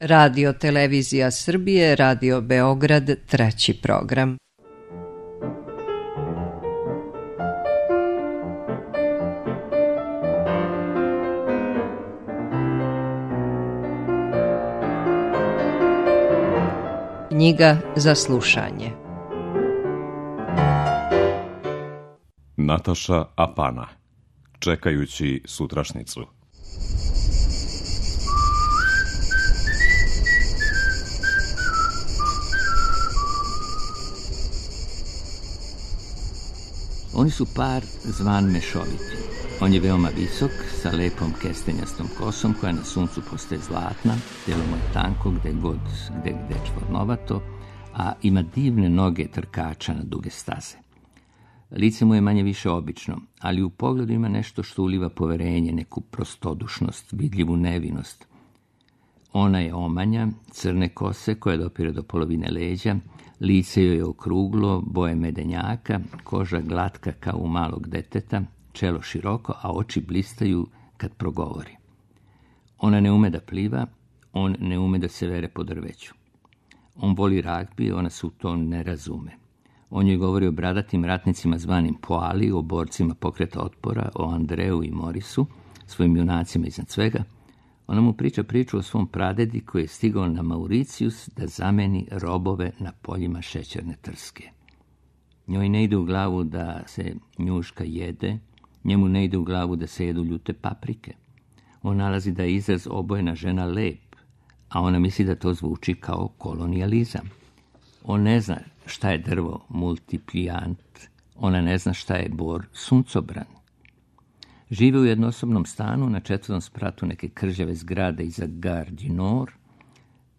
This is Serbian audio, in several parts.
Radio Televizija Srbije, Radio Beograd, 3. program. Knjiga za slušanje. Nataša Apana, čekajući sutrašnicu. Oni su par zvan Mešoviti. On je veoma visok, sa lepom kestenjastom kosom koja na suncu postaje zlatna, telo mu je tanko gde čvornovato, a ima divne noge trkača na duge staze. Lice mu je manje više obično, ali u pogledu ima nešto što uliva poverenje, neku prostodušnost, vidljivu nevinost. Ona je omanja, crne kose koja dopire do polovine leđa, lice joj je okruglo, boje medenjaka, koža glatka kao u malog deteta, čelo široko, a oči blistaju kad progovori. Ona ne ume da pliva, on ne ume da se vere po drveću. On voli ragbi, ona se u to ne razume. On joj govori o bradatim ratnicima zvanim Poali, o borcima pokreta otpora, o Andreu i Morisu, svojim junacima iznad svega. Ona mu priča priču o svom pradedi koji je stigao na Mauricijus da zameni robove na poljima šećerne trske. Njoj ne ide u glavu da se njuška jede, njemu ne ide u glavu da se jedu ljute paprike. On nalazi da je izraz obojena žena lep, a ona misli da to zvuči kao kolonijalizam. On ne zna šta je drvo multiplijant, ona ne zna šta je bor suncobran. Žive u jednosobnom stanu na 4. spratu neke kržave zgrade iza Gare du Nord.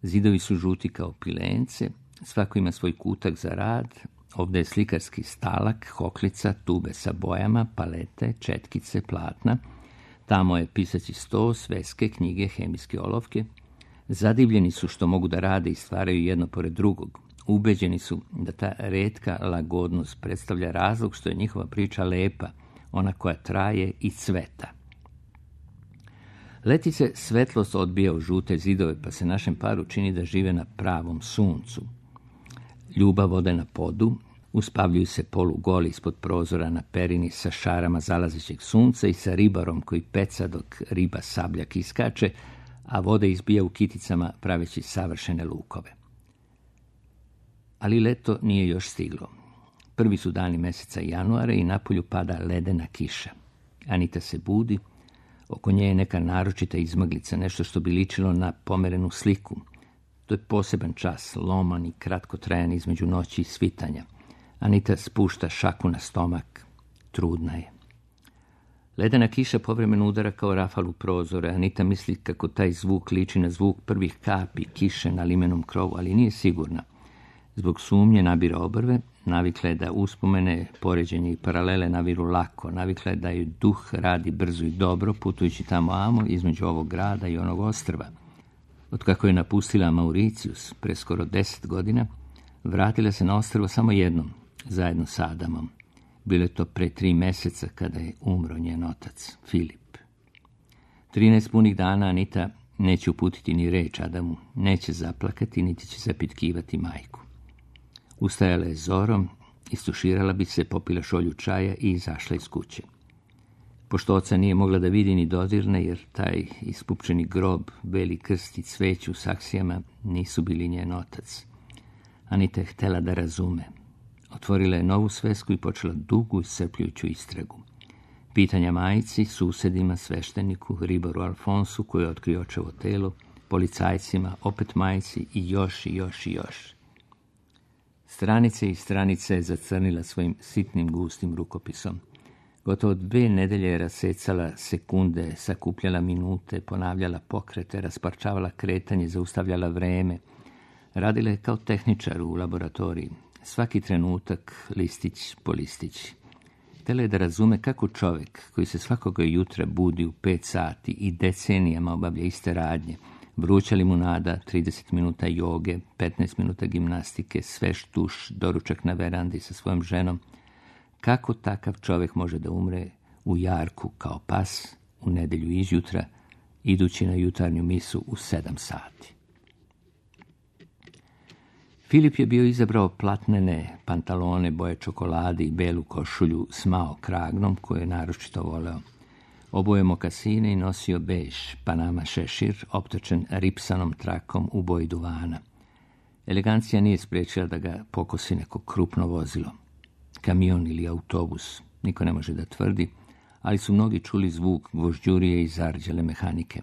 Zidovi su žuti kao pilence, svako ima svoj kutak za rad. Ovdje je slikarski stalak, hoklica, tube sa bojama, palete, četkice, platna. Tamo je pisaći sto, sveske, knjige, hemijske olovke. Zadivljeni su što mogu da rade i stvaraju jedno pored drugog. Ubeđeni su da ta retka lagodnost predstavlja razlog što je njihova priča lepa, ona koja traje i cveta. Leti se svetlost odbija u žute zidove, pa se našem paru čini da žive na pravom suncu. Ljubav ode na podu, uspavljuju se polugoli ispod prozora na perini sa šarama zalazećeg sunca i sa ribarom koji peca dok riba sabljak iskače, a voda izbija u kiticama praveći savršene lukove. Ali leto nije još stiglo. Prvi su dani meseca januara i napolju pada ledena kiša. Anita se budi, oko nje je neka naročita izmaglica, nešto što bi ličilo na pomerenu sliku. To je poseban čas, loman i kratkotrajan između noći i svitanja. Anita spušta šaku na stomak, trudna je. Ledena kiša povremeno udara kao rafal u prozore. Anita misli kako taj zvuk liči na zvuk prvih kapi kiše na limenom krovu, ali nije sigurna. Zbog sumnje nabira obrve, navikla je da uspomene, poređenje i paralele naviru lako, navikla je da joj duh radi brzo i dobro, putujući tamo amo između ovog grada i onog ostrva. Otkako je napustila Mauricijus pre skoro 10 godina, vratila se na ostrvo samo jednom, zajedno sa Adamom. Bilo je to pre 3 meseca kada je umro njen otac, Filip. 13 punih dana Anita neće uputiti ni reč Adamu, neće zaplakati, niti će zapitkivati majku. Ustajala je zorom, istuširala bi se, popila šolju čaja i izašla iz kuće. Pošto oca nije mogla da vidi ni dodirne, jer taj ispupčeni grob, beli krst i cveće u saksijama nisu bili njen otac. Anita je htela da razume. Otvorila je novu svesku i počela dugu i iscrpljujuću istragu. Pitanja majici, susedima, svešteniku, ribaru Alfonsu koji je otkrio očevo telo, policajcima, opet majici i još i još i još. Stranice i stranice je zacrnila svojim sitnim gustim rukopisom. Gotovo 2 nedelje je rasecala sekunde, sakupljala minute, ponavljala pokrete, rasparčavala kretanje, zaustavljala vreme. Radila je kao tehničar u laboratoriji. Svaki trenutak, listić po listić. Htela je da razume kako čovjek koji se svakoga jutra budi u 5 sati i decenijama obavlja iste radnje, vruća limunada, 30 minuta joge, 15 minuta gimnastike, svež tuš, doručak na verandi sa svojom ženom, kako takav čovjek može da umre u jarku kao pas u nedelju izjutra, idući na jutarnju misu u 7 sati. Filip je bio izabrao platnene pantalone boje čokolade i belu košulju s mao kragnom koju je naročito voleo. Oboje mokasine i nosio bež Panama šešir optočen ripsanom trakom u boji duvana. Elegancija nije spriječila da ga pokosi neko krupno vozilo. Kamion ili autobus, niko ne može da tvrdi, ali su mnogi čuli zvuk gvožđurije i zarđale mehanike.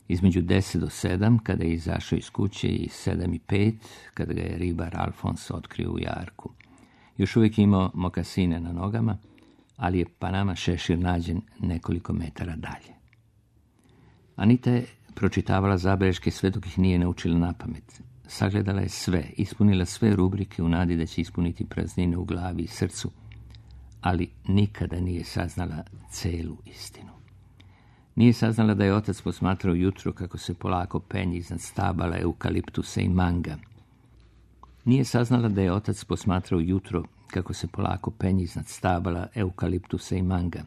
Između 10 do 7, kada je izašao iz kuće, i 7 i 5, kada ga je ribar Alfons otkrio u jarku. Još uvijek je imao mokasine na nogama, ali je Panama šešir nađen nekoliko metara dalje. Anita je pročitavala zabeleške sve dok ih nije naučila napamet. Sagledala je sve, ispunila sve rubrike u nadi da će ispuniti praznine u glavi i srcu, ali nikada nije saznala celu istinu. Nije saznala da je otac posmatrao jutro kako se polako penje iznad stabala eukaliptusa i manga. Nije saznala da je otac posmatrao jutro kako se polako penje iznad stabala eukaliptusa i manga.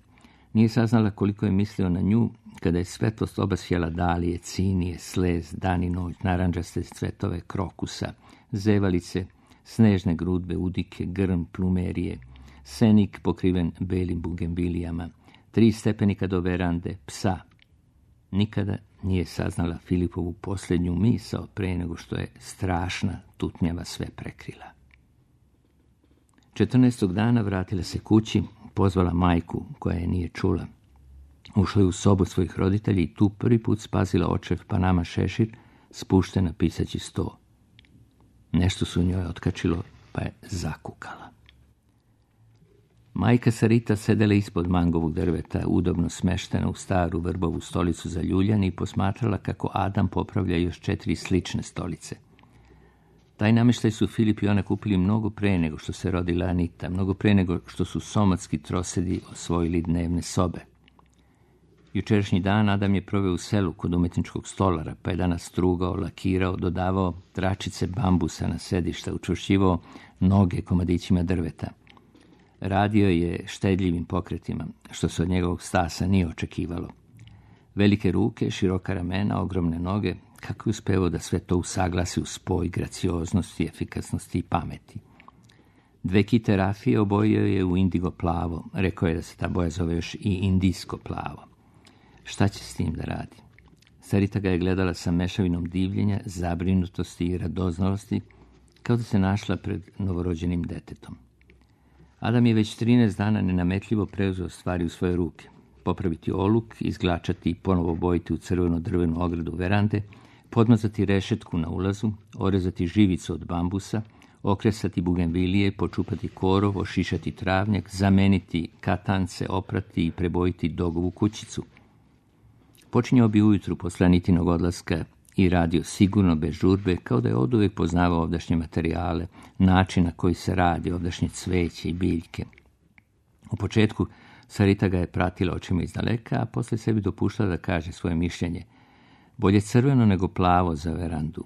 Nije saznala koliko je mislio na nju kada je svetlost obasjala dalije, cinije, slez, dan i noć, naranđaste cvetove krokusa, zevalice, snežne grudbe, udike, grm, plumerije, senik pokriven belim bugembilijama, 3 stepenika do verande, psa. Nikada nije saznala Filipovu posljednju misao pre nego što je strašna tutnjava sve prekrila. 14. dana vratila se kući, pozvala majku koja je nije čula. Ušla je u sobu svojih roditelja i tu prvi put spazila očev Panama šešir spušten na pisaći sto. Nešto su u njoj otkačilo pa je zakukala. Majka Sarita sedela ispod mangovog drveta, udobno smeštena u staru vrbovu stolicu za ljuljane i posmatrala kako Adam popravlja još 4 slične stolice. Taj namještaj su Filip i ona kupili mnogo pre nego što se rodila Anita, mnogo pre nego što su somatski trosedi osvojili dnevne sobe. Jučerašnji dan Adam je proveo u selu kod umetničkog stolara, pa je danas strugao, lakirao, dodavao tračice bambusa na sedišta, učvršćivao noge komadićima drveta. Radio je štedljivim pokretima, što se od njegovog stasa nije očekivalo. Velike ruke, široka ramena, ogromne noge, kako je uspevao da sve to usaglasi u spoj gracioznosti, efikasnosti i pameti. 2 kite rafije obojio je u indigo plavo, rekao je da se ta boja zove još i indijsko plavo. Šta će s tim da radi? Sarita ga je gledala sa mešavinom divljenja, zabrinutosti i radoznalosti, kao da se našla pred novorođenim detetom. Adam je već 13 dana nenametljivo preuzeo stvari u svoje ruke. Popraviti oluk, izglačati i ponovo obojiti u crveno drvenu ogradu verande, podmazati rešetku na ulazu, orezati živicu od bambusa, okresati bugenvilije, počupati korov, ošišati travnjak, zameniti katance, oprati i prebojiti dogovu kućicu. Počinjao bi ujutru posle Anitinog odlaska i radio sigurno bez žurbe, kao da je oduvek poznavao ovdašnje materijale, način na koji se radi ovdašnje cveće i biljke. U početku Sarita ga je pratila očima izdaleka, a posle sebi dopuštala da kaže svoje mišljenje. Bolje crveno nego plavo za verandu.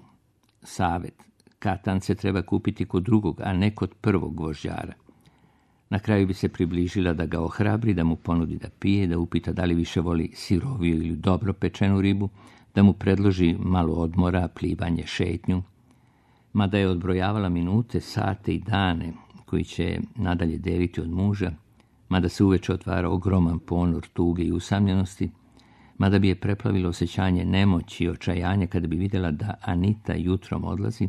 Savet, katance treba kupiti kod drugog, a ne kod prvog gvožđara. Na kraju bi se približila da ga ohrabri, da mu ponudi da pije, da upita da li više voli siroviju ili dobro pečenu ribu, da mu predloži malo odmora, plivanje, šetnju. Mada je odbrojavala minute, sate i dane koji će nadalje deliti od muža, mada se uveče otvara ogroman ponor tuge i usamljenosti, mada bi je preplavilo osjećanje nemoći i očajanja kada bi vidjela da Anita jutrom odlazi,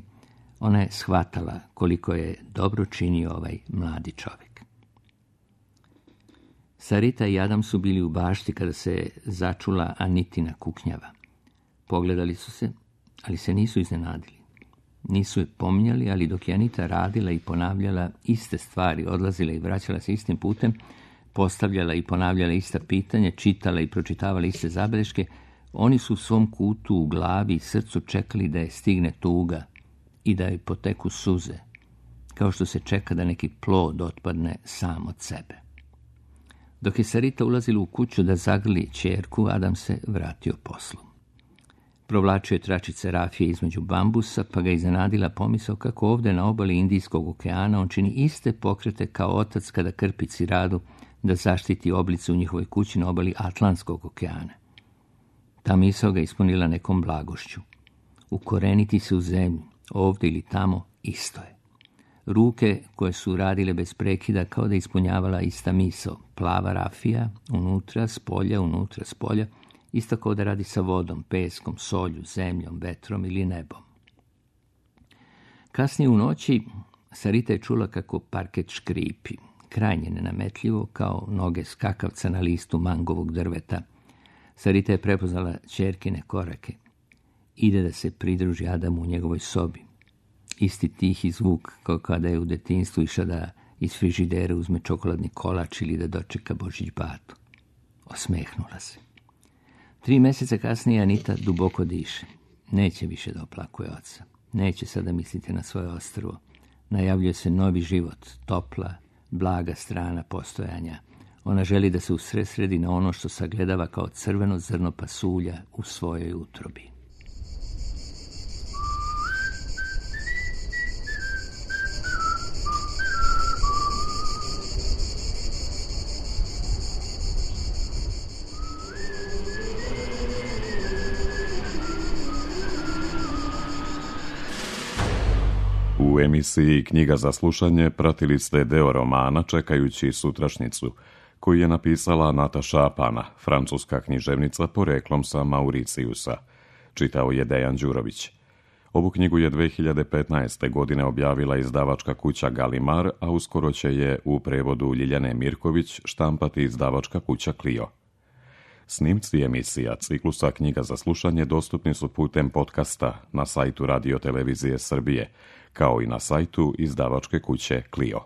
ona je shvatala koliko je dobro činio ovaj mladi čovjek. Sarita i Adam su bili u bašti kada se začula Anitina kuknjava. Pogledali su se, ali se nisu iznenadili. Nisu je pominjali, ali dok je Anita radila i ponavljala iste stvari, odlazila i vraćala se istim putem, postavljala i ponavljala ista pitanja, čitala i pročitavala iste zabeleške, oni su u svom kutu u glavi i srcu čekali da je stigne tuga i da joj poteku suze, kao što se čeka da neki plod otpadne sam od sebe. Dok je Sarita ulazila u kuću da zagrli ćerku, Adam se vratio poslu. Provlačio je tračice rafije između bambusa, pa ga iznenadila pomisao kako ovdje na obali Indijskog okeana on čini iste pokrete kao otac kada krpi ciradu da zaštiti oblice u njihovoj kući na obali Atlantskog okeana. Ta misao ga ispunila nekom blagošću. Ukoreniti se u zemlju, ovdje ili tamo, isto je. Ruke koje su radile bez prekida kao da ispunjavala ista misao. Plava rafija, unutra, spolja, isto kao da radi sa vodom, peskom, solju, zemljom, vetrom ili nebom. Kasnije u noći Sarita je čula kako parket škripi, krajnje nenametljivo kao noge skakavca na listu mangovog drveta. Sarita je prepoznala ćerkine korake. Ide da se pridruži Adamu u njegovoj sobi. Isti tihi zvuk kao kada je u detinjstvu išla da iz frižidera uzme čokoladni kolač ili da dočeka Božić batu. Osmehnula se. 3 mjeseca kasnije Anita duboko diše. Neće više da oplakuje oca. Neće sada misliti na svoje ostrvo. Najavljuje se novi život, topla, blaga strana postojanja. Ona želi da se usredsredi na ono što sagledava kao crveno zrno pasulja u svojoj utrobi. U emisiji Knjiga za slušanje pratili ste deo romana Čekajući sutrašnjicu, koji je napisala Nataša Apana, francuska književnica poreklom sa Mauricijusa. Čitao je Dejan Đurović. Ovu knjigu je 2015. godine objavila izdavačka kuća Galimar, a uskoro će je u prevodu Ljiljane Mirković štampati izdavačka kuća Clio. Snimci emisija ciklusa Knjiga za slušanje dostupni su putem podcasta na sajtu Radio Televizije Srbije, kao i na sajtu izdavačke kuće Clio.